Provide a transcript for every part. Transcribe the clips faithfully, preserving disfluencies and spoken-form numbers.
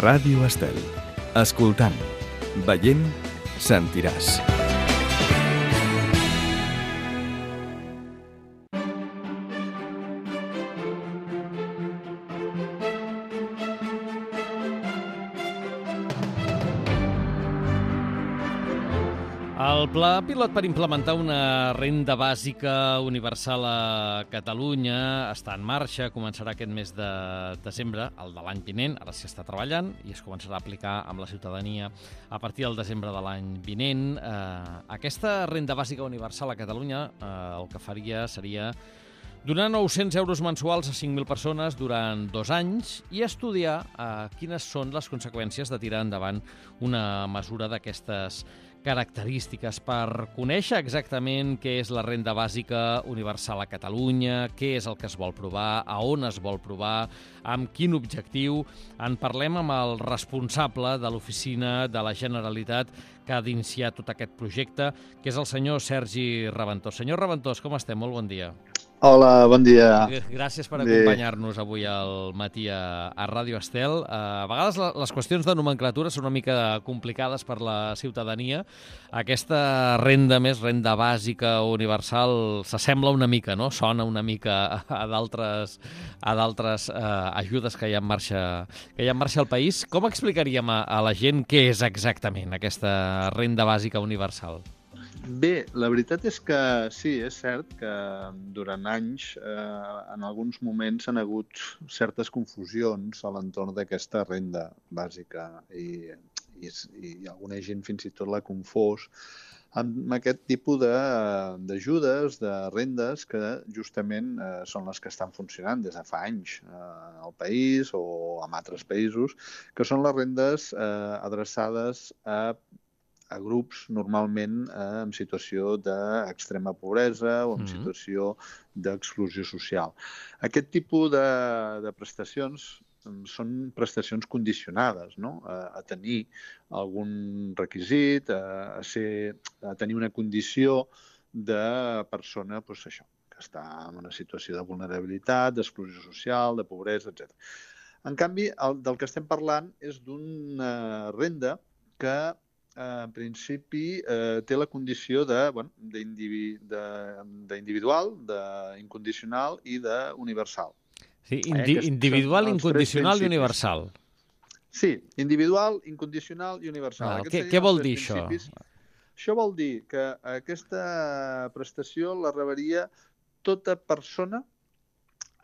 Ràdio Estel. Escoltant, veient, sentiràs. El pla pilot per implementar una renda bàsica universal a Catalunya està en marxa, començarà aquest mes de desembre, el de l'any vinent, ara s'hi està treballant i es començarà a aplicar amb la ciutadania a partir del desembre de l'any vinent. Eh, aquesta renda bàsica universal a Catalunya eh, el que faria seria donar nou-cents euros mensuals a cinc mil persones durant dos anys i estudiar eh, quines són les conseqüències de tirar endavant una mesura d'aquestes característiques per conèixer exactament què és la renda bàsica universal a Catalunya, què és el que es vol provar, a on es vol provar, amb quin objectiu. En parlem amb el responsable de l'Oficina de la Generalitat que ha d'iniciar tot aquest projecte, que és el senyor Sergi Raventós. Senyor Raventós, com estem? Molt bon dia. Hola, bon dia. Gràcies per acompanyar-nos avui al matí a, a Ràdio Estel. A vegades les qüestions de nomenclatura són una mica complicades per la ciutadania. Aquesta renda més, renda bàsica universal, s'assembla una mica, no? Sona una mica a d'altres a d'altres eh, ajudes que hi ha en marxa, que hi ha en marxa al país. Com explicaríem a, a la gent què és exactament aquesta renda bàsica universal? Bé, la veritat és que sí, és cert que durant anys, eh, en alguns moments, han hagut certes confusions a l'entorn d'aquesta renda bàsica i, i, i alguna gent fins i tot l'ha confós amb aquest tipus d'ajudes, de, de rendes que justament eh, són les que estan funcionant des de fa anys eh, al país o en altres països, que són les rendes eh, adreçades a a grups normalment eh, en situació d'extrema pobresa o en mm-hmm. situació d'exclusió social. Aquest tipus de, de prestacions són prestacions condicionades, no? a, a tenir algun requisit, a, a, ser, a tenir una condició de persona, doncs això, que està en una situació de vulnerabilitat, d'exclusió social, de pobresa, etcètera. En canvi, el, del que estem parlant és d'una renda que en principi eh, té la condició de, bueno, d'individual, d'incondicional i d'universal. Sí, indi eh, individual, incondicional i universal. Sí, individual, incondicional i universal. Ah, què, què vol dir això? Això vol dir que aquesta prestació la rebaria tota persona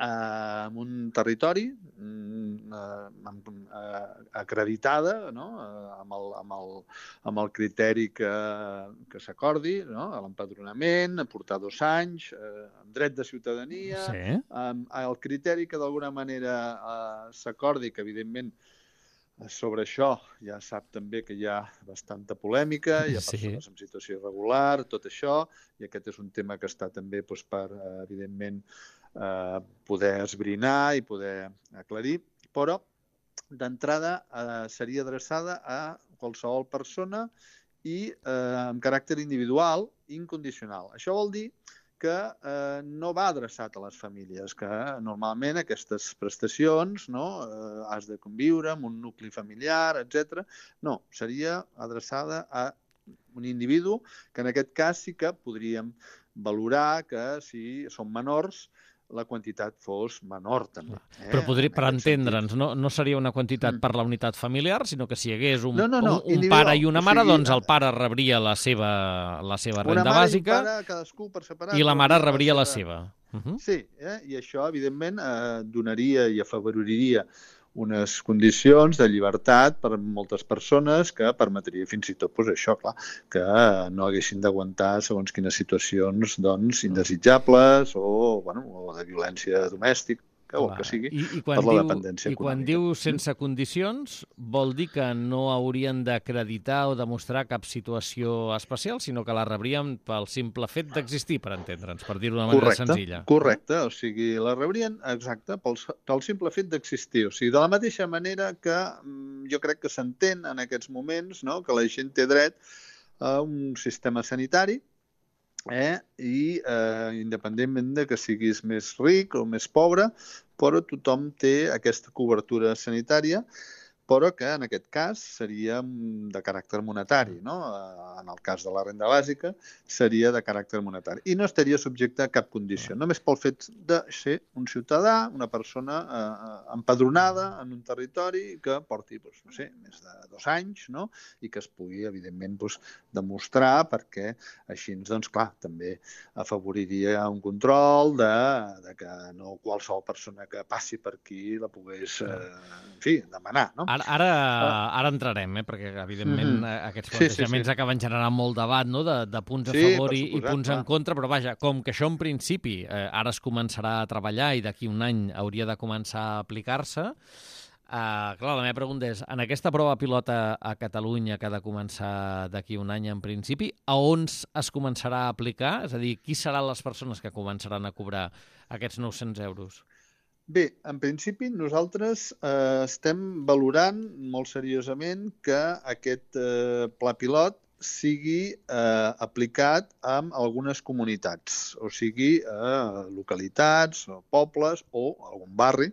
en un territori acreditada, no? amb, el, amb, el, amb el criteri que, que s'acordi, no? L'empadronament, portar dos anys, amb dret de ciutadania, sí. amb el criteri que d'alguna manera eh, s'acordi, que evidentment sobre això ja sap també que hi ha bastanta polèmica, hi ha persones sí. en situació irregular, tot això, i aquest és un tema que està també doncs, per, evidentment, Eh, poder esbrinar i poder aclarir, però d'entrada eh, seria adreçada a qualsevol persona i eh, amb caràcter individual i incondicional. Això vol dir que eh, no va adreçat a les famílies, que normalment aquestes prestacions, no, eh, has de conviure amb un nucli familiar, etcètera. No, seria adreçada a un individu que en aquest cas sí que podríem valorar que si són menors la quantitat fos menor, també. Eh? Però podria, per entendre'ns, no, no seria una quantitat mm. per la unitat familiar, sinó que si hi hagués un, no, no, no, un, un pare i una mare, o sigui, doncs el pare rebria la seva, la seva renda una mare bàsica i, pare, cadascú per separat, i la mare rebria la seva. Uh -huh. Sí, eh? i això, evidentment, eh, donaria i afavorairia unes condicions de llibertat per a moltes persones que permetria fins i tot, doncs això, clar, que no haguessin d'aguantar segons quines situacions doncs, indesitjables o, bueno, o de violència domèstica o el que sigui, I, i per la dependència I econòmica. quan diu sense condicions, vol dir que no haurien d'acreditar o demostrar cap situació especial, sinó que la rebrien pel simple fet d'existir, per entendre'ns, per dir-ho d'una manera correcte, senzilla. Correcte, o sigui, la rebrien, exacte, pel, pel simple fet d'existir. O sigui, de la mateixa manera que jo crec que s'entén en aquests moments, no?, que la gent té dret a un sistema sanitari, Eh? i eh, independentment de que siguis més ric o més pobre, però tothom té aquesta cobertura sanitària, però que en aquest cas seria de caràcter monetari, no? En el cas de la renda bàsica seria de caràcter monetari i no estaria subjecte a cap condició, només pel fet de ser un ciutadà, una persona eh, empadronada en un territori que porti, doncs, no sé, més de dos anys, no? I que es pugui, evidentment, doncs, demostrar, perquè així, doncs, clar, també afavoriria un control de, de que no qualsevol persona que passi per aquí la pogués, eh, en fi, demanar, no? Ara, ara, ara entrarem, eh? Perquè, evidentment, mm-hmm. aquests plantejaments sí, sí, sí. acaben generant molt debat, no? de, de punts a sí, favor i, i punts clar. en contra, però vaja, com que això en principi eh, ara es començarà a treballar i d'aquí un any hauria de començar a aplicar-se, eh, clar, la meva pregunta és, en aquesta prova pilota a Catalunya que ha de començar d'aquí un any en principi, a on es començarà a aplicar? És a dir, qui seran les persones que començaran a cobrar aquests nou-cents euros? Bé, en principi nosaltres eh, estem valorant molt seriosament que aquest eh, pla pilot sigui eh, aplicat en algunes comunitats, o sigui, eh, localitats, o pobles o algun barri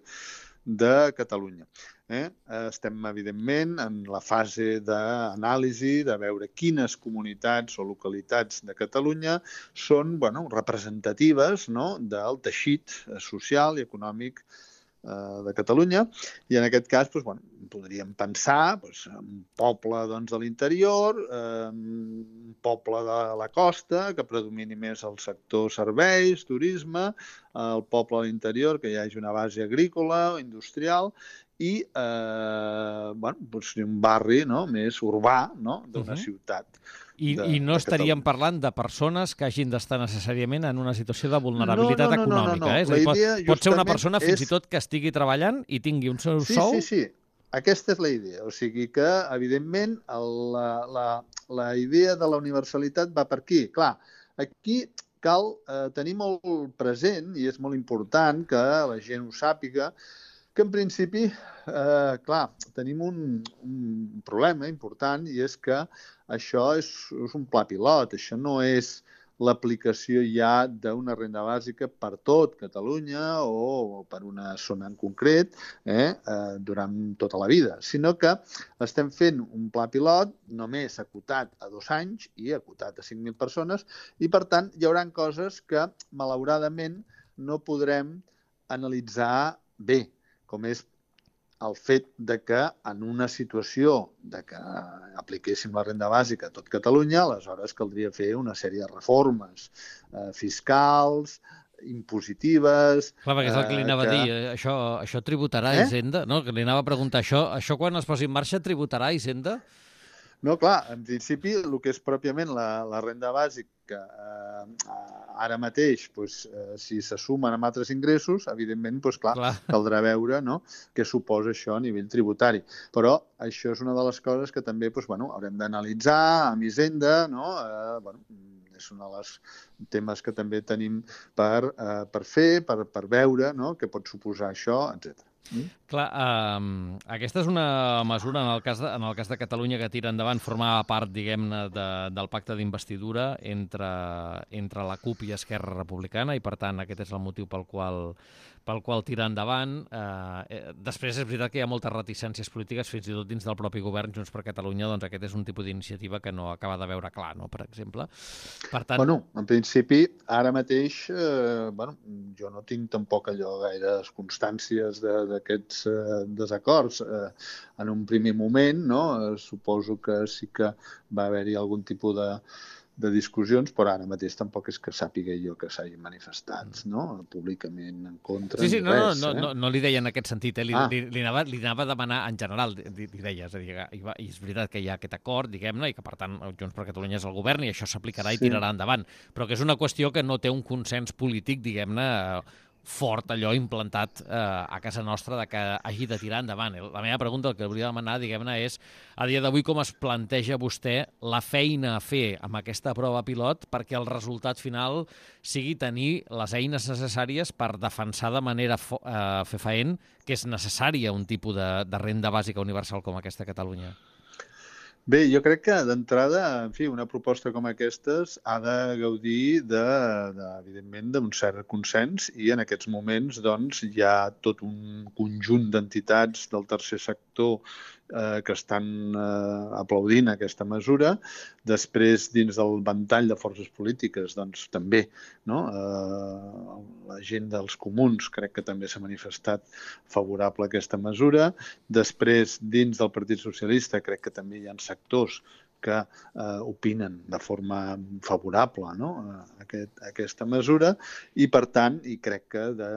de Catalunya. Eh? Estem, evidentment, en la fase d'anàlisi, de veure quines comunitats o localitats de Catalunya són bueno, representatives, no?, del teixit social i econòmic eh, de Catalunya. I en aquest cas doncs, bueno, podríem pensar doncs, en un poble doncs, de l'interior, eh, un poble de la costa, que predomini més el sector serveis, turisme, el poble de l'interior, que hi hagi una base agrícola o industrial, i eh, bueno, doncs un barri no? més urbà no? d'una uh-huh. ciutat. I, de, I no estaríem parlant de persones que hagin d'estar necessàriament en una situació de vulnerabilitat no, no, no, econòmica. No, no, no. Eh? És a dir, pot, pot ser una persona fins és... i tot que estigui treballant i tingui un seu sí, sou? Sí, sí, sí. Aquesta és la idea. O sigui que, evidentment, la, la, la idea de la universalitat va per aquí. Clar, aquí cal eh, tenir molt present, i és molt important que la gent ho sàpiga, que en principi, eh, clar, tenim un, un problema important i és que això és, és un pla pilot, això no és l'aplicació ja d'una renda bàsica per tot Catalunya o per una zona en concret eh, eh, durant tota la vida, sinó que estem fent un pla pilot només acotat a dos anys i acotat a cinc mil persones i, per tant, hi haurà coses que, malauradament, no podrem analitzar bé, com és el fet de que en una situació de que apliquéssim la renda bàsica a tot Catalunya, aleshores caldria fer una sèrie de reformes eh, fiscals, impositives... Clar, perquè és el que li anava eh, que... a dir, això, això tributarà eh? Hisenda, no? Que li anava a preguntar això, això quan es posi en marxa tributarà Hisenda? No, clar, en principi el que és pròpiament la, la renda bàsica eh, ara mateix, doncs, eh, si se sumen amb altres ingressos, evidentment, doncs, clar, clar, caldrà veure no, què suposa això a nivell tributari. Però això és una de les coses que també doncs, bueno, haurem d'analitzar amb Hisenda, no? Eh, bueno, és un dels temes que també tenim per, eh, per fer, per, per veure no, què pot suposar això, etcètera. Mm? Clar, eh, aquesta és una mesura, en el cas de, en el cas de Catalunya, que tira endavant, formava part, diguem-ne, de, del pacte d'investidura entre, entre la CUP i Esquerra Republicana, i per tant aquest és el motiu pel qual, pel qual tira endavant. Eh, després és veritat que hi ha moltes reticències polítiques, fins i tot dins del propi govern Junts per Catalunya, doncs aquest és un tipus d'iniciativa que no acaba de veure clar, no?, per exemple. Per tant... Bueno, en principi, ara mateix, eh, bueno, jo no tinc tampoc allò gaires constàncies de, d'aquests eh, desacords. Eh, en un primer moment, no, eh, suposo que sí que va haver-hi algun tipus de, de discussions, però ara mateix tampoc és que sàpiga jo que s'hagin manifestat no? Públicament en contra. Sí, sí, no, res, no, eh? no, no li deia en aquest sentit, eh? li, ah. li, li, anava, li anava a demanar en general, li, li deia, és a dir, i, va, i és veritat que hi ha aquest acord, diguem-ne, i que per tant Junts per Catalunya és el govern i això s'aplicarà sí. i tirarà endavant, però que és una qüestió que no té un consens polític, diguem-ne, fort, allò implantat eh, a casa nostra de que hagi de tirar endavant. La meva pregunta, el que hauria de demanar, diguem-ne, és a dia d'avui com es planteja vostè la feina a fer amb aquesta prova pilot perquè el resultat final sigui tenir les eines necessàries per defensar de manera eh, fefaent que és necessària un tipus de, de renda bàsica universal com aquesta a Catalunya. Bé, jo crec que d'entrada, en fi, una proposta com aquestes ha de gaudir, de, de, evidentment, d'un cert consens i en aquests moments doncs, hi ha tot un conjunt d'entitats del tercer sector eh, que estan eh, aplaudint aquesta mesura. Després, dins del ventall de forces polítiques, doncs també, no? Eh, la gent dels comuns crec que també s'ha manifestat favorable a aquesta mesura. Després, dins del Partit Socialista, crec que també hi ha sectors que eh, opinen de forma favorable, no? a, aquest, a aquesta mesura i, per tant, i crec que, de,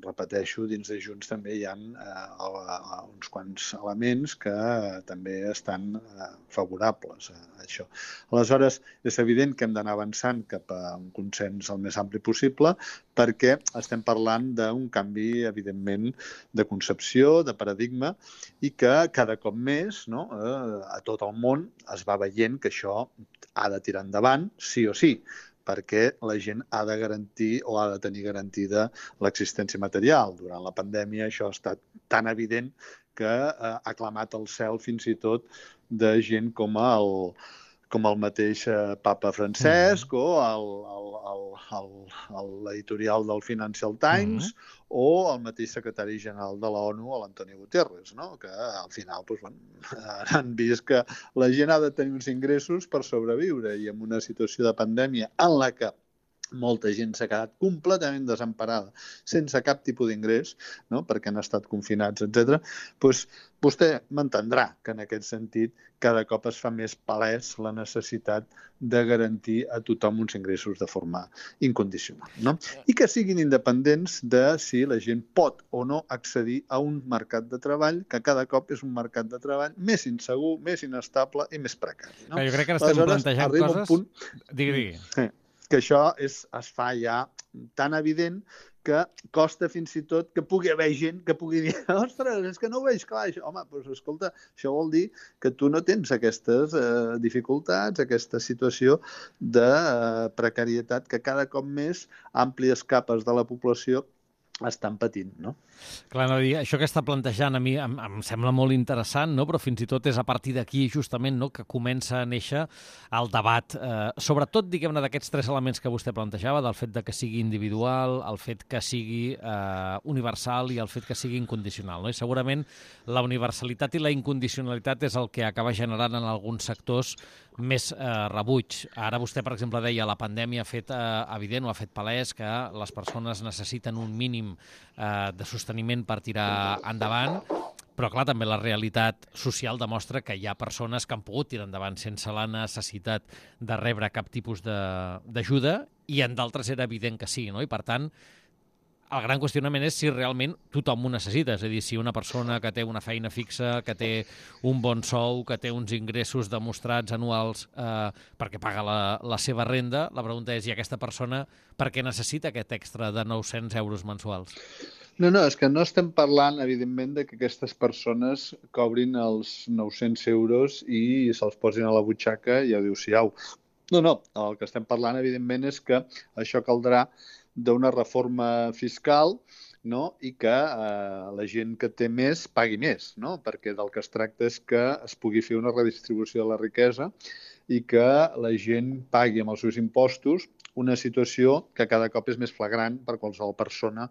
repeteixo, dins de Junts també hi ha eh, uns quants elements que eh, també estan eh, favorables a, a això. Aleshores, és evident que hem d'anar avançant cap a un consens el més ampli possible perquè estem parlant d'un canvi, evidentment, de concepció, de paradigma i que cada cop més, no, eh, a tot el món es va veient que això ha de tirar endavant, sí o sí, perquè la gent ha de garantir o ha de tenir garantida l'existència material. Durant la pandèmia això ha estat tan evident que eh, ha clamat al cel fins i tot de gent com el, com el mateix eh, papa Francesc mm. o el, el, el, el, el, l'editorial del Financial Times mm. o el mateix secretari general de la ONU, l'Antonio Guterres, no? Que al final doncs, bueno, han vist que la gent ha de tenir uns ingressos per sobreviure i en una situació de pandèmia en la que molta gent s'ha quedat completament desemparada, sense cap tipus d'ingrés, no? Perquè han estat confinats, etcètera. Doncs vostè m'entendrà que en aquest sentit cada cop es fa més palès la necessitat de garantir a tothom uns ingressos de forma incondicional, no? I que siguin independents de si la gent pot o no accedir a un mercat de treball que cada cop és un mercat de treball més insegur, més inestable i més precari. No? Jo crec que ara estem Aleshores, plantejant coses... Punt... Digui, digui. Sí. que això és, es fa ja tan evident que costa fins i tot que pugui haver gent que pugui dir ostres, és que no ho veig clar, això. Home, doncs escolta, això vol dir que tu no tens aquestes eh, dificultats, aquesta situació de eh, precarietat que cada cop més àmplies capes de la població estan patint, no? Clar, no, això que està plantejant a mi em, em sembla molt interessant, no? Però fins i tot és a partir d'aquí justament, no, que comença a néixer el debat. Eh, sobretot, diguem-ne, d'aquests tres elements que vostè plantejava, del fet de que sigui individual, el fet que sigui eh, universal i el fet que sigui incondicional, no? I segurament la universalitat i la incondicionalitat és el que acaba generant en alguns sectors més eh, rebuig. Ara vostè, per exemple, deia la pandèmia ha fet eh, evident o ha fet palès que les persones necessiten un mínim eh, de sosteniment per tirar endavant, però clar, també la realitat social demostra que hi ha persones que han pogut tirar endavant sense la necessitat de rebre cap tipus d'ajuda i en d'altres era evident que sí, no? I per tant, el gran qüestionament és si realment tothom ho necessita, és a dir, si una persona que té una feina fixa, que té un bon sou, que té uns ingressos demostrats anuals eh, perquè paga la, la seva renda, la pregunta és, i aquesta persona per què necessita aquest extra de nou-cents euros mensuals? No, no, és que no estem parlant, evidentment, de que aquestes persones cobrin els nou-cents euros i se'ls posin a la butxaca i adéu-siau. No, no, el que estem parlant, evidentment, és que això caldrà d'una reforma fiscal, no? I que eh, la gent que té més pagui més, no? Perquè del que es tracta és que es pugui fer una redistribució de la riquesa i que la gent pagui amb els seus impostos una situació que cada cop és més flagrant per qualsevol persona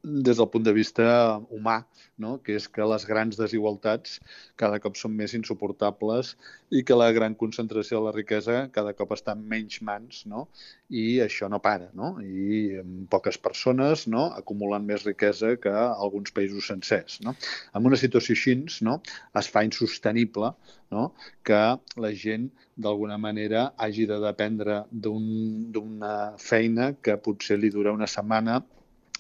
des del punt de vista humà, no? Que és que les grans desigualtats cada cop són més insuportables i que la gran concentració de la riquesa cada cop està en menys mans, no? I això no para, no? I poques persones, no, acumulen més riquesa que alguns països sencers, no? En una situació així, no, es fa insostenible, no, que la gent d'alguna manera hagi de dependre d'un, d'una feina que potser li dura una setmana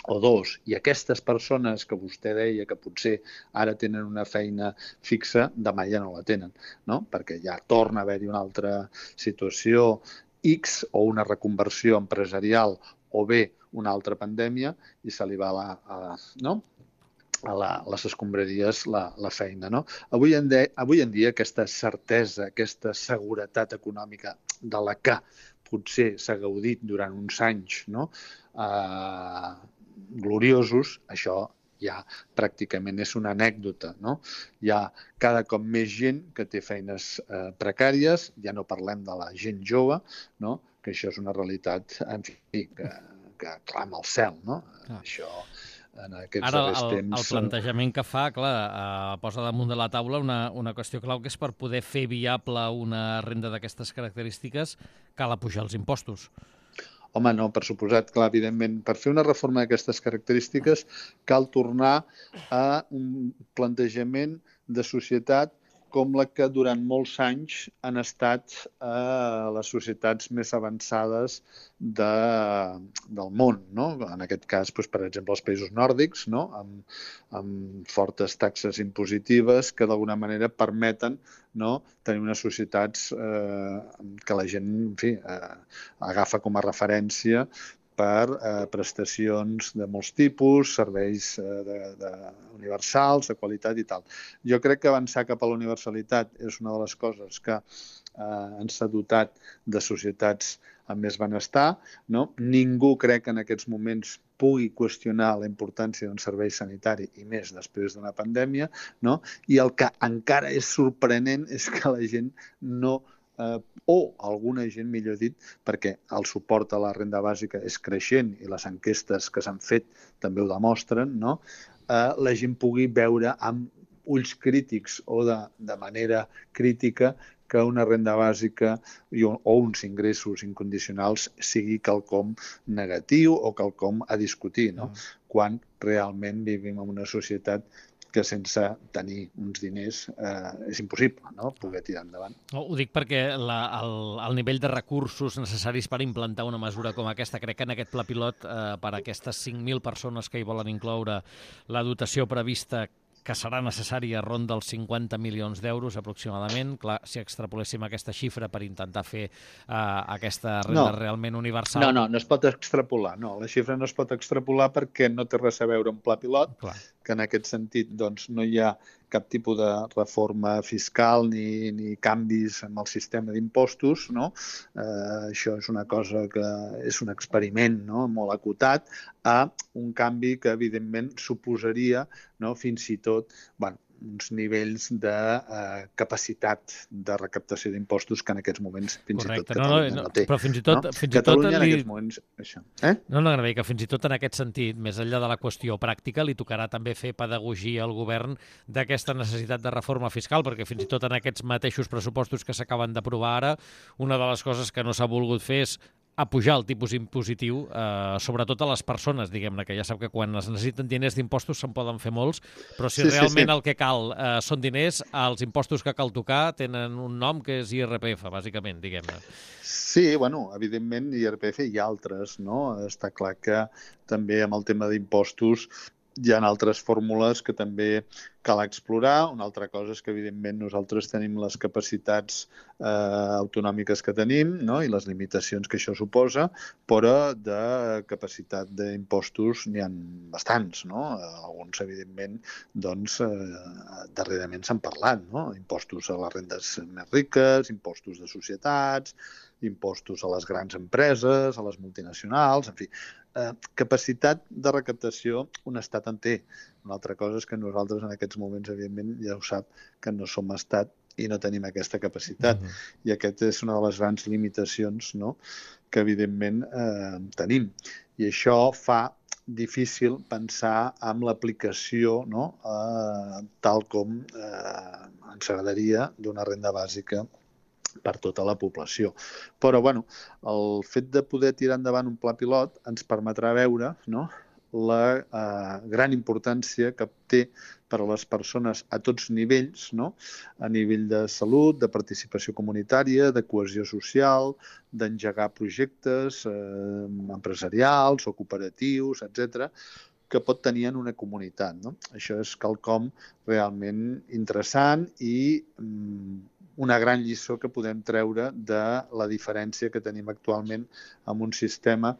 o dos, i aquestes persones que vostè deia que potser ara tenen una feina fixa, demà ja no la tenen, no? Perquè ja torna a haver-hi una altra situació X o una reconversió empresarial o bé una altra pandèmia i se li va la, a, no? a la, les escombraries la, la feina, no? Avui en, de, avui en dia aquesta certesa, aquesta seguretat econòmica de la que potser s'ha gaudit durant uns anys, no? Eh, gloriosos, això ja pràcticament és una anècdota, no? Hi ha cada cop més gent que té feines eh, precàries, ja no parlem de la gent jove, no? Que això és una realitat, en fi, que, que clama al cel, no? Ah. Això en aquests Ara, darrers el, temps. el plantejament que fa, clar, eh, posa damunt de la taula una, una qüestió clau, que és per poder fer viable una renda d'aquestes característiques cal apujar els impostos. Home, no, per suposat, clar, evidentment, per fer una reforma d'aquestes característiques cal tornar a un plantejament de societat com la que durant molts anys han estat a les societats més avançades de, del món, no? En aquest cas, doncs, per exemple, els països nòrdics, no? amb, amb fortes taxes impositives que d'alguna manera permeten, no? tenir unes societats eh, que la gent, en fi, eh, agafa com a referència per eh, prestacions de molts tipus, serveis eh, de, de universals, de qualitat i tal. Jo crec que avançar cap a la universalitat és una de les coses que eh, ens ha dotat de societats amb més benestar, no? Ningú crec que en aquests moments pugui qüestionar la importància d'un servei sanitari i més després d'una pandèmia, no? I el que encara és sorprenent és que la gent no Eh, o alguna gent, millor dit, perquè el suport a la renda bàsica és creixent i les enquestes que s'han fet també ho demostren, no? eh, la gent pugui veure amb ulls crítics o de, de manera crítica que una renda bàsica o uns ingressos incondicionals sigui quelcom negatiu o quelcom a discutir, no? Mm. Quan realment vivim en una societat que sense tenir uns diners eh, és impossible, no?, poder tirar endavant. No, ho dic perquè la, el, el nivell de recursos necessaris per implantar una mesura com aquesta, crec que en aquest pla pilot, eh, per a aquestes cinc mil persones que hi volen incloure, la dotació prevista que serà necessària ronda els cinquanta milions d'euros aproximadament. Clar, si extrapoléssim aquesta xifra per intentar fer uh, aquesta renda no. realment universal... No, no, no es pot extrapolar. No, la xifra no es pot extrapolar perquè no té res a veure amb pla pilot, Clar. que en aquest sentit doncs, no hi ha cap tipus de reforma fiscal ni, ni canvis en el sistema d'impostos, no? Eh, això és una cosa que és un experiment, no?, molt acotat a un canvi que evidentment suposaria, no?, fins i tot, bueno, uns nivells de uh, capacitat de recaptació d'impostos que en aquests moments fins Correcte. i tot Catalunya no, no, no té. Però fins i tot, no? fins Catalunya i tot en li... aquests moments... Això. Eh? No, no, no, que fins i tot en aquest sentit, més enllà de la qüestió pràctica, li tocarà també fer pedagogia al govern d'aquesta necessitat de reforma fiscal, perquè fins i tot en aquests mateixos pressupostos que s'acaben d'aprovar ara, una de les coses que no s'ha volgut fer és a pujar el tipus impositiu, eh, sobretot a les persones, diguem-ne, que ja sap que quan es necessiten diners d'impostos se'n poden fer molts, però si sí, realment sí, sí. el que cal eh, són diners, els impostos que cal tocar tenen un nom que és I R P F, bàsicament, diguem-ne. Sí, bueno, evidentment I R P F i altres, no? Està clar que també amb el tema d'impostos hi ha altres fórmules que també cal explorar. Una altra cosa és que, evidentment, nosaltres tenim les capacitats eh, autonòmiques que tenim, no?, i les limitacions que això suposa, però de capacitat d'impostos n'hi ha bastants, no? Alguns, evidentment, doncs, eh, darrerament s'han parlat, no? Impostos a les rendes més riques, impostos de societats, impostos a les grans empreses, a les multinacionals, en fi, eh, capacitat de recaptació un estat en té. Una altra cosa és que nosaltres en aquests moments, evidentment, ja ho sap, que no som estat i no tenim aquesta capacitat. Mm-hmm. I aquesta és una de les grans limitacions, no?, que evidentment eh, tenim. I això fa difícil pensar en l'aplicació, no?, eh, tal com eh, ens agradaria d'una renda bàsica per tota la població. Però, bueno, el fet de poder tirar endavant un pla pilot ens permetrà veure, no?, la eh, gran importància que té per a les persones a tots nivells, no?, a nivell de salut, de participació comunitària, de cohesió social, d'engegar projectes eh, empresarials o cooperatius, etcètera, que pot tenir en una comunitat, no? Això és quelcom realment interessant i mm, una gran lliçó que podem treure de la diferència que tenim actualment amb un sistema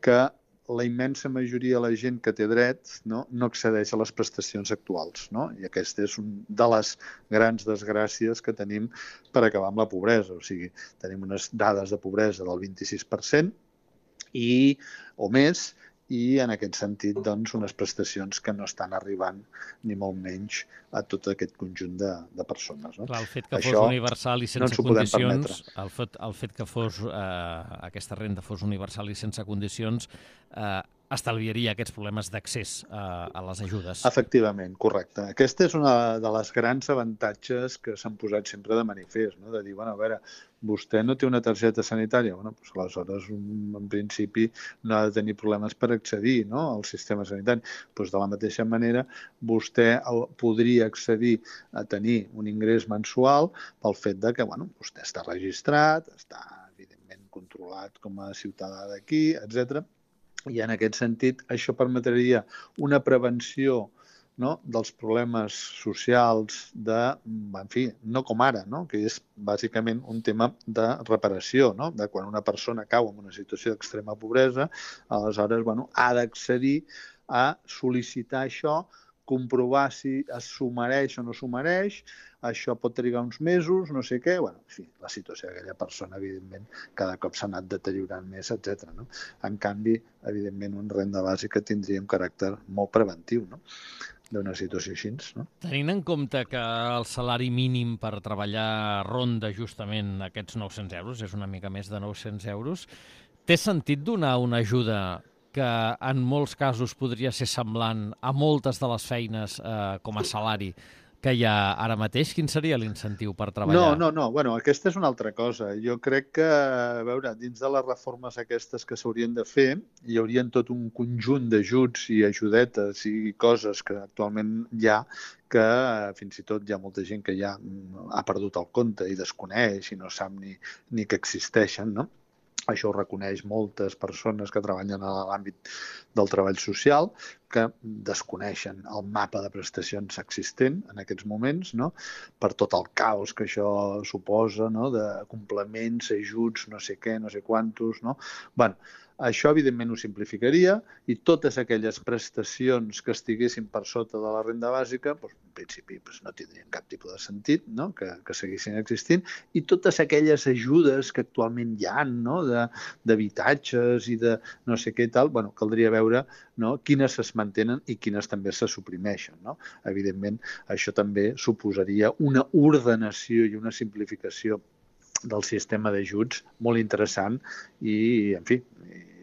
que la immensa majoria de la gent que té dret, no, no accedeix a les prestacions actuals, no? I aquesta és una de les grans desgràcies que tenim per acabar amb la pobresa. O sigui, tenim unes dades de pobresa del vint-i-sis per cent i, o més, i en aquest sentit doncs, unes prestacions que no estan arribant ni molt menys a tot aquest conjunt de, de persones. No? Clar, el fet que Això fos universal i sense no condicions, el fet, el fet que fos, eh, aquesta renda fos universal i sense condicions, eh, estalviaria aquests problemes d'accés a, a les ajudes. Efectivament, correcte. Aquesta és una de les grans avantatges que s'han posat sempre de manifest, no? De dir, bueno, a veure, vostè no té una targeta sanitària, bueno, doncs aleshores, en principi, no ha de tenir problemes per accedir, no?, al sistema sanitari. Doncs de la mateixa manera, vostè podria accedir a tenir un ingrés mensual pel fet de que, bueno, vostè està registrat, està, evidentment, controlat com a ciutadà d'aquí, etcètera. I en aquest sentit això permetria una prevenció, no?, dels problemes socials de, en fi, no com ara, no?, que és bàsicament un tema de reparació, no?, de quan una persona cau en una situació d'extrema pobresa, aleshores, bueno, ha d'accedir a sol·licitar això, comprovar si s'ho mereix o no s'ho mereix, això pot trigar uns mesos, no sé què, bueno, en fi, la situació d'aquella persona, evidentment, cada cop s'ha anat deteriorant més, etcètera, no? En canvi, evidentment, una renda bàsica tindria un caràcter molt preventiu, no?, d'una situació així, no? Tenint en compte que el salari mínim per treballar ronda justament aquests nou-cents euros, és una mica més de nou-cents euros, té sentit donar una ajuda que en molts casos podria ser semblant a moltes de les feines eh, com a salari que hi ha ara mateix? Quin seria l'incentiu per treballar? No, no, no. Bueno, aquesta és una altra cosa. Jo crec que, a veure, dins de les reformes aquestes que s'haurien de fer, hi haurien tot un conjunt d'ajuts i ajudetes i coses que actualment hi ha que fins i tot hi ha molta gent que ja ha perdut el compte i desconeix i no sap ni, ni que existeixen, no? Això ho reconeix moltes persones que treballen a l'àmbit del treball social, que desconeixen el mapa de prestacions existent en aquests moments, no?, per tot el caos que això suposa, no?, de complements, ajuts, no sé què, no sé quantos, no? Bueno, això, evidentment, ho simplificaria i totes aquelles prestacions que estiguessin per sota de la renda bàsica, doncs, en principi doncs, no tindrien cap tipus de sentit, no?, que, que seguissin existint, i totes aquelles ajudes que actualment hi ha, no?, d'habitatges i de no sé què i tal, bueno, caldria veure, no?, quines es mantenen i quines també se suprimeixen, no? Evidentment, això també suposaria una ordenació i una simplificació del sistema d'ajuts molt interessant i, en fi,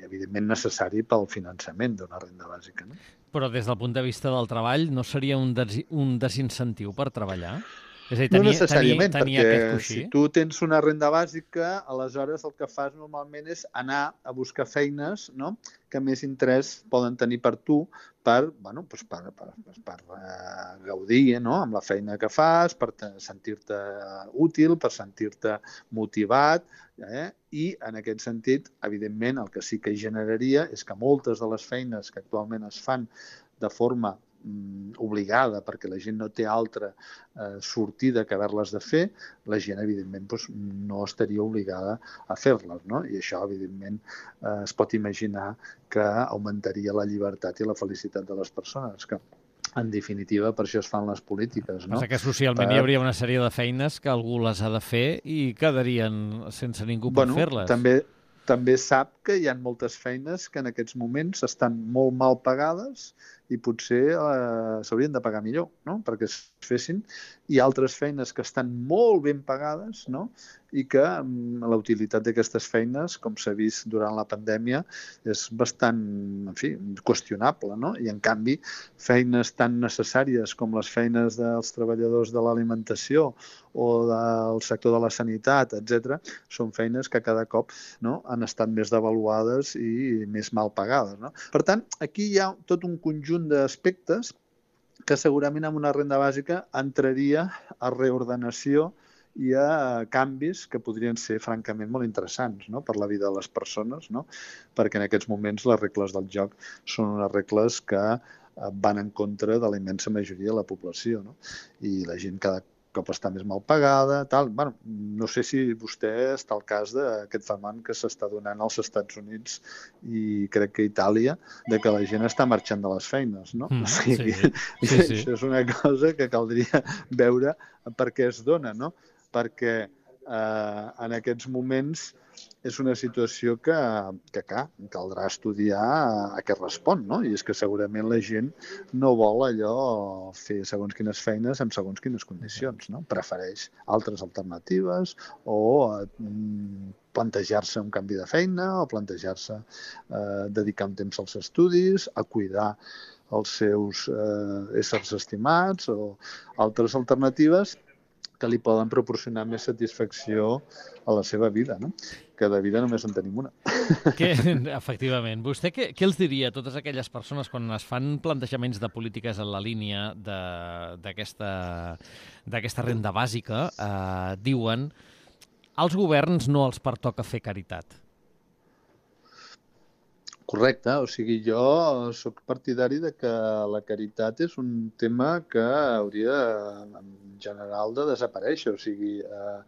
evidentment necessari pel finançament d'una renda bàsica, no? Però des del punt de vista del treball no seria un, des un desincentiu per treballar? És a dir, tenir, no necessàriament, tenir, tenir perquè si tu tens una renda bàsica, aleshores el que fas normalment és anar a buscar feines, no?, que més interès poden tenir per tu per, bueno, doncs per, per, per uh, gaudir, no?, amb la feina que fas, per sentir-te útil, per sentir-te motivat, eh? I en aquest sentit, evidentment, el que sí que generaria és que moltes de les feines que actualment es fan de forma obligada, perquè la gent no té altra eh, sortida que haver-les de fer, la gent, evidentment, doncs, no estaria obligada a fer-les, no? I això, evidentment, eh, es pot imaginar que augmentaria la llibertat i la felicitat de les persones, que, en definitiva, per això es fan les polítiques, no? Passa que socialment per... hi hauria una sèrie de feines que algú les ha de fer i quedarien sense ningú per bueno, fer-les. També, també sap que hi ha moltes feines que en aquests moments estan molt mal pagades i potser eh, s'haurien de pagar millor, no?, perquè es fessin, i altres feines que estan molt ben pagades, no?, i que mm, la utilitat d'aquestes feines, com s'ha vist durant la pandèmia, és bastant, en fi, qüestionable, no? I en canvi, feines tan necessàries com les feines dels treballadors de l'alimentació o del sector de la sanitat, etcètera, són feines que cada cop, no?, han estat més devaluades i més mal pagades, no? Per tant, aquí hi ha tot un conjunt d'aspectes que segurament amb una renda bàsica entraria a reordenació i a canvis que podrien ser francament molt interessants, no?, per la vida de les persones, no?, perquè en aquests moments les regles del joc són unes regles que van en contra de la immensa majoria de la població, no?, i la gent cada cop està més mal pagada, tal. Bueno, no sé si vostè està al cas d'aquest fenomen que s'està donant als Estats Units i crec que a Itàlia, de que la gent està marxant de les feines, no? Mm, o sigui, sí, sí, sí. Això és una cosa que caldria veure per què es dona, no? Perquè eh, en aquests moments és una situació que, que clar, caldrà estudiar a què respon, no? I és que segurament la gent no vol allò fer segons quines feines en segons quines condicions, no? Prefereix altres alternatives o eh, plantejar-se un canvi de feina o plantejar-se eh, dedicar un temps als estudis, a cuidar els seus eh, éssers estimats o altres alternatives que li poden proporcionar més satisfacció a la seva vida, no? Que de vida només en tenim una. Que, efectivament. Vostè què, què els diria a totes aquelles persones quan es fan plantejaments de polítiques en la línia d'aquesta d'aquesta renda bàsica, eh, diuen als governs no els pertoca fer caritat? Correcte, o sigui, jo sóc partidari de que la caritat és un tema que hauria, en general, de desaparèixer. O sigui, eh,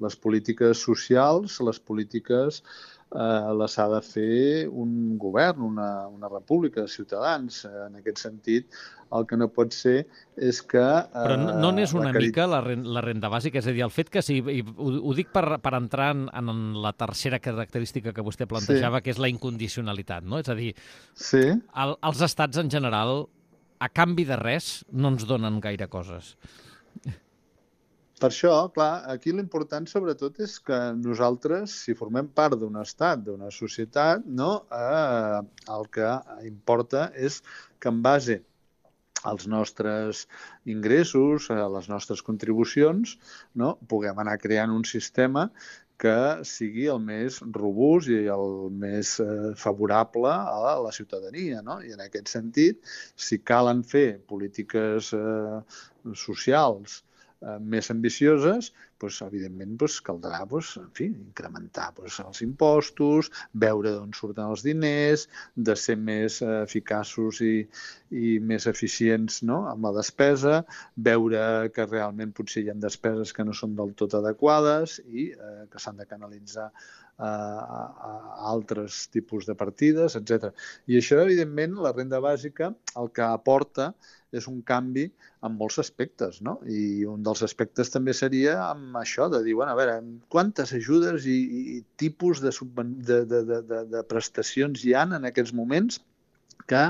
les polítiques socials, les polítiques eh, les ha de fer un govern, una, una república de ciutadans. En aquest sentit, el que no pot ser és que... Eh, Però no, no n'és una la cari... mica la renda, la renda bàsica? És a dir, el fet que, sí, i ho, ho dic per, per entrar en, en la tercera característica que vostè plantejava, sí, que és la incondicionalitat, no? És a dir, sí, el, els estats en general, a canvi de res, no ens donen gaire coses. Per això, clar, aquí l'important sobretot és que nosaltres, si formem part d'un estat, d'una societat, no, eh, el que importa és que en base als nostres ingressos, a les nostres contribucions, no, puguem anar creant un sistema que sigui el més robust i el més eh, favorable a la ciutadania, no? I en aquest sentit, si calen fer polítiques eh, socials eh, més ambicioses, doncs, evidentment doncs, caldrà doncs, en fi, incrementar doncs, els impostos, veure d'on surten els diners, de ser més eh, eficaços i, i més eficients, no?, amb la despesa, veure que realment potser hi ha despeses que no són del tot adequades i eh, que s'han de canalitzar a, a altres tipus de partides, etcètera. I això, evidentment, la renda bàsica el que aporta és un canvi en molts aspectes, no? I un dels aspectes també seria amb això, de dir, bueno, a veure, quantes ajudes i, i tipus de, de, de, de, de prestacions hi ha en aquests moments que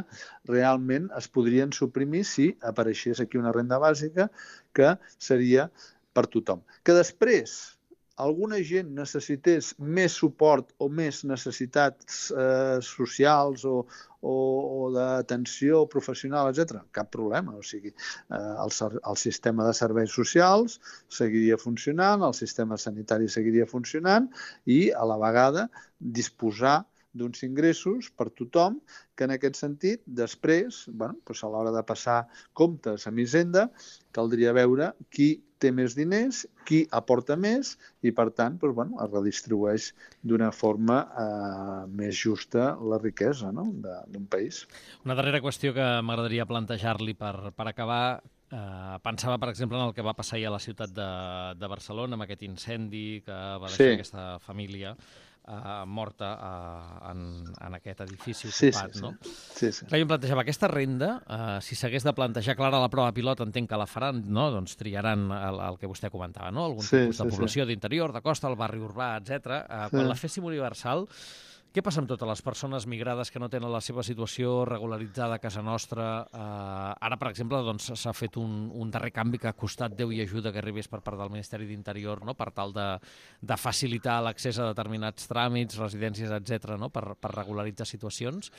realment es podrien suprimir si apareixés aquí una renda bàsica que seria per tothom. Que després alguna gent necessités més suport o més necessitats eh, socials o, o, o d'atenció professional, etcètera, cap problema. O sigui, eh, el, el sistema de serveis socials seguiria funcionant, el sistema sanitari seguiria funcionant i, a la vegada, disposar d'uns ingressos per tothom que, en aquest sentit, després, bueno, doncs a l'hora de passar comptes amb Hisenda, caldria veure qui té més diners, qui aporta més i, per tant, doncs, bueno, es redistribueix d'una forma eh, més justa la riquesa, no?, d'un país. Una darrera qüestió que m'agradaria plantejar-li per, per acabar. Eh, pensava, per exemple, en el que va passar ahir a la ciutat de, de Barcelona, amb aquest incendi que va deixar sí. aquesta família Uh, morta uh, en, en aquest edifici ocupat, sí, sí, no? Sí, sí. Clar, jo em plantejava, aquesta renda, uh, si s'hagués de plantejar, clar, a la prova pilot entenc que la faran, no? Doncs triaran el, el que vostè comentava, no? Algun sí, tipus de sí, població sí. d'interior, de costa, el barri urbà, etcètera. Uh, sí. Quan la féssim universal, què passa amb totes les persones migrades que no tenen la seva situació regularitzada a casa nostra? Uh, ara, per exemple, doncs, s'ha fet un, un darrer canvi que ha costat Déu i ajuda que arribés per part del Ministeri d'Interior, no?, per tal de, de facilitar l'accés a determinats tràmits, residències, etcètera, no?, per, per regularitzar situacions.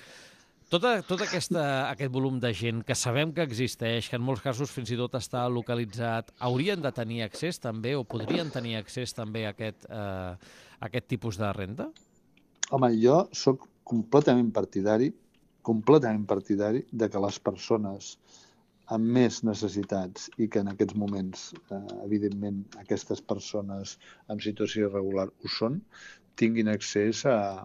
Tota, tot aquesta, aquest volum de gent que sabem que existeix, que en molts casos fins i tot està localitzat, haurien de tenir accés també o podrien tenir accés també a aquest, uh, a aquest tipus de renda? Home, jo sóc completament partidari, completament partidari de que les persones amb més necessitats i que en aquests moments, eh, evidentment, aquestes persones en situació irregular ho són, tinguin accés a,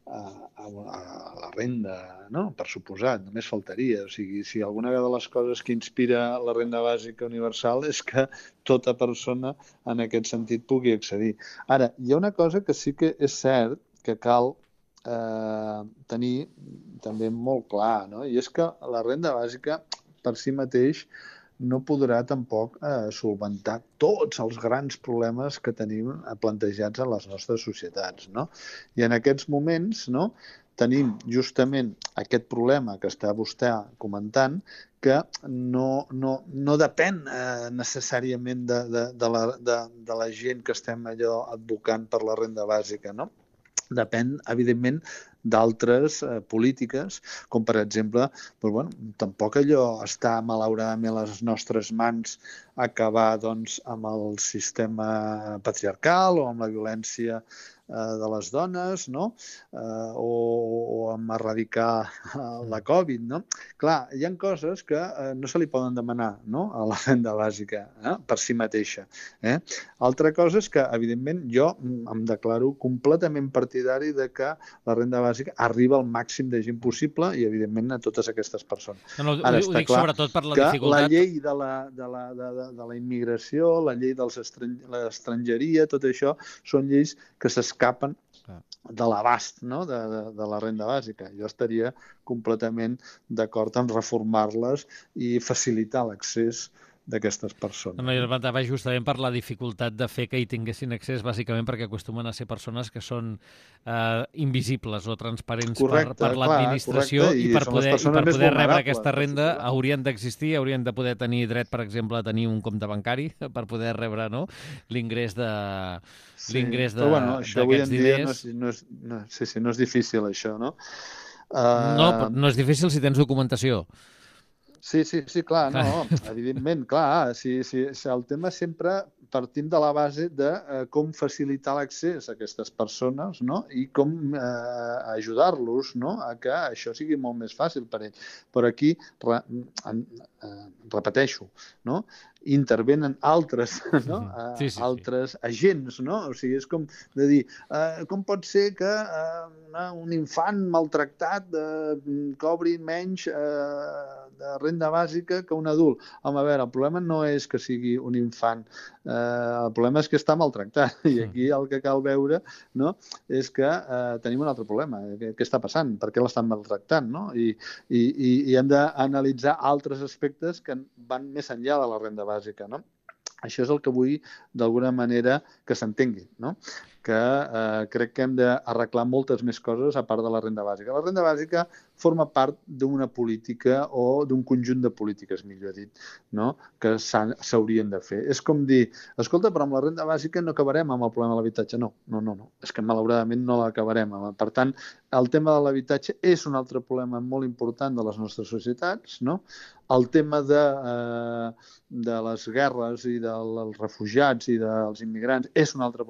a, a, a la renda, no? Per suposat, només faltaria. O sigui, si alguna de les coses que inspira la renda bàsica universal és que tota persona en aquest sentit pugui accedir. Ara, hi ha una cosa que sí que és cert que cal eh, tenir també molt clar, no? I és que la renda bàsica per si mateix no podrà tampoc eh, solventar tots els grans problemes que tenim plantejats en les nostres societats, no? I en aquests moments, no, tenim justament aquest problema que està vostè comentant, que no, no, no depèn eh, necessàriament de, de, de, la, de, de la gent que estem allò advocant per la renda bàsica, no? Depèn, evidentment, d'altres eh, polítiques, com per exemple, però, bueno, tampoc allò està malauradament a les nostres mans acabar doncs, amb el sistema patriarcal o amb la violència eh, de les dones, no? Eh, o, o amb erradicar la Covid, no? Clar, hi ha coses que eh, no se li poden demanar, no?, a la renda bàsica eh, per si mateixa. Eh? Altra cosa és que, evidentment, jo em declaro completament partidari de que la renda bàsica arriba al màxim de gent possible i, evidentment, a totes aquestes persones. No, no, Ara, ho, ho dic sobretot per la que dificultat... la llei de la, de la, de, de, de la immigració, la llei de l'estrangeria, tot això són lleis que s'escapen de l'abast, no?, de, de, de la renda bàsica. Jo estaria completament d'acord en reformar-les i facilitar l'accés d'aquestes persones. No, jo va justament per la dificultat de fer que hi tinguessin accés, bàsicament perquè acostumen a ser persones que són eh, invisibles o transparents correcte, per, per l'administració i, i per poder, i per poder rebre aquesta renda haurien d'existir, haurien de poder tenir dret, per exemple, a tenir un compte bancari per poder rebre, no?, l'ingrés de sí, l'ingrés de, bueno, d'aquests diners. No és, no és, no, sí, sí, no és difícil, això, no? Uh... No, no és difícil si tens documentació. Sí, sí, sí, clar, no, evidentment, clar, si, si, si el tema sempre partim de la base de eh, com facilitar l'accés a aquestes persones, no?, i com eh, ajudar-los, no?, a que això sigui molt més fàcil per ells. Però aquí, re, eh, repeteixo, no?, intervenen altres, no? Sí, sí, sí. altres agents, no? O sigui, és com de dir, eh, com pot ser que eh, un infant maltractat eh, cobri menys eh, de renda bàsica que un adult? Home, a veure, el problema no és que sigui un infant, eh, el problema és que està maltractat. I aquí el que cal veure, no?, és que eh, tenim un altre problema. Què, què està passant? Per què l'estan maltractant? No? I, i, i hem d'analitzar altres aspectes que van més enllà de la renda bàsica, no? Això és el que vull, d'alguna manera, que s'entengui, no? Que eh, crec que hem d'arreglar moltes més coses a part de la renda bàsica. La renda bàsica forma part d'una política o d'un conjunt de polítiques, millor dit, no?, que s'haurien de fer. És com dir, escolta, però amb la renda bàsica no acabarem amb el problema de l'habitatge. No, no, no, no. És que malauradament no l'acabarem. Per tant, el tema de l'habitatge és un altre problema molt important de les nostres societats, no? El tema de, eh, de les guerres i dels refugiats i dels immigrants és un altre problema